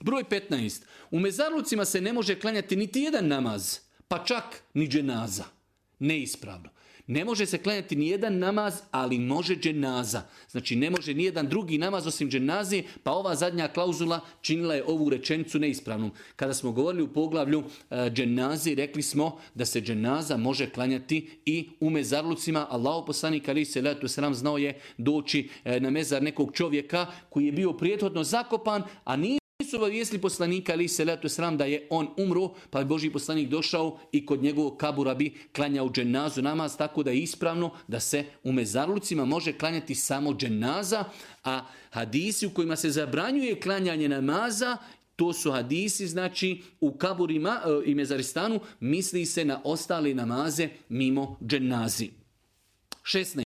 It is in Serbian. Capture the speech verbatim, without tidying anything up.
Broj petnaest. U mezarlucima se ne može klanjati niti jedan namaz, pa čak ni dženaza. Neispravno. Ne može se klanjati ni jedan namaz, ali može dženaza. Znači ne može ni jedan drugi namaz osim dženaze, pa ova zadnja klauzula činila je ovu rečenicu neispravnom. Kada smo govorili u poglavlju uh, dženazi, rekli smo da se dženaza može klanjati i u mezarlucima. Allahu poslanik alejhi selatu vesselam znao je doći uh, na mezar nekog čovjeka koji je bio prethodno zakopan, a nije su obavijestili poslanika alejhi selatu vesselam da je on umro, pa je Božji poslanik došao i kod njegovog kabura bi klanjao dženazu namaz, tako da je ispravno da se u mezarlucima može klanjati samo dženaza, a hadisi u kojima se zabranjuje klanjanje namaza, to su hadisi, znači u kaburima e, i mezaristanu misli se na ostale namaze mimo dženazi. šesnaest.